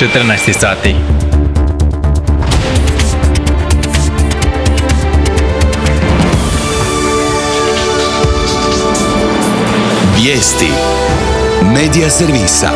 14 sati. Vijesti Medija servisa.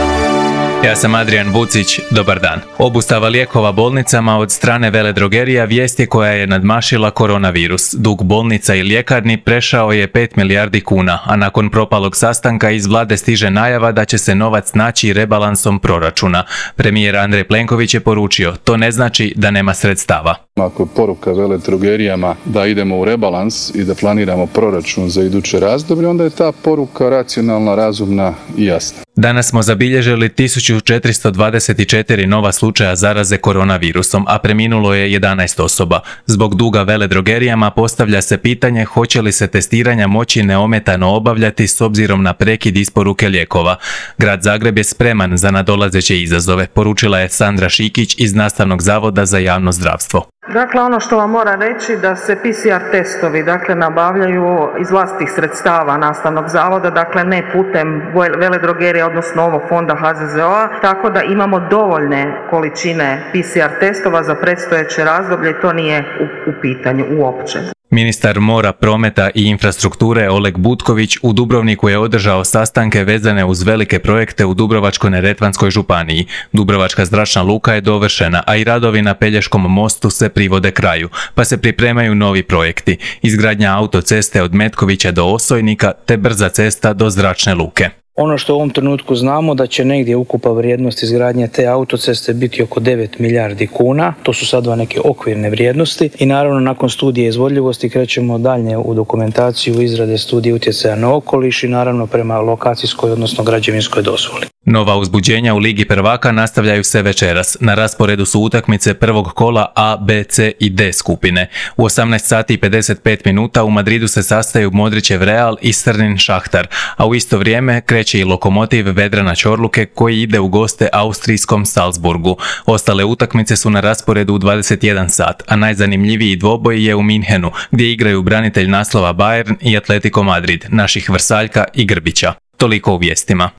Ja sam Adrian Vucić, dobar dan. Obustava lijekova bolnicama od strane veledrogerija vijest je koja je nadmašila koronavirus. Dug bolnica i ljekarni prešao je 5 milijardi kuna, a nakon propalog sastanka iz vlade stiže najava da će se novac naći rebalansom proračuna. Premijer Andrej Plenković je poručio, to ne znači da nema sredstava. Ako je poruka veledrogerijama da idemo u rebalans i da planiramo proračun za iduće razdoblje, onda je ta poruka racionalna, razumna i jasna. Danas smo zabilježili 1424 nova slučaja zaraze koronavirusom, a preminulo je 11 osoba. Zbog duga veledrogerijama postavlja se pitanje hoće li se testiranja moći neometano obavljati s obzirom na prekid isporuke lijekova. Grad Zagreb je spreman za nadolazeće izazove, poručila je Sandra Šikić iz Nastavnog zavoda za javno zdravstvo. Dakle, ono što vam moram reći da se PCR testovi nabavljaju iz vlastitih sredstava Nastavnog zavoda, dakle ne putem veledrogerija, odnosno ovog fonda HZZO-a, tako da imamo dovoljne količine PCR testova za predstojeće razdoblje i to nije u pitanju uopće. Ministar mora, prometa i infrastrukture Oleg Butković u Dubrovniku je održao sastanke vezane uz velike projekte u Dubrovačko-neretvanskoj županiji. Dubrovačka zračna luka je dovršena, a i radovi na Pelješkom mostu se privode kraju, pa se pripremaju novi projekti. Izgradnja autoceste od Metkovića do Osojnika te brza cesta do zračne luke. Ono što u ovom trenutku znamo da će negdje ukupa vrijednost izgradnje te autoceste biti oko 9 milijardi kuna, to su sad neke okvirne vrijednosti i naravno nakon studije izvodljivosti krećemo dalje u dokumentaciju izrade studije utjecaja na okoliš i naravno prema lokacijskoj odnosno građevinskoj dozvoli. Nova uzbuđenja u Ligi prvaka nastavljaju se večeras. Na rasporedu su utakmice prvog kola A, B, C i D skupine. U 18 sati i 55 minuta u Madridu se sastaju Modrićev Real i Srnin Šahtar, a u isto vrijeme kreće i Lokomotiv Vedrana Čorluke koji ide u goste austrijskom Salzburgu. Ostale utakmice su na rasporedu u 21 sat, a najzanimljiviji dvoboj je u Minhenu, gdje igraju branitelj naslova Bayern i Atletico Madrid, naših Vrsaljka i Grbića. Toliko u vijestima.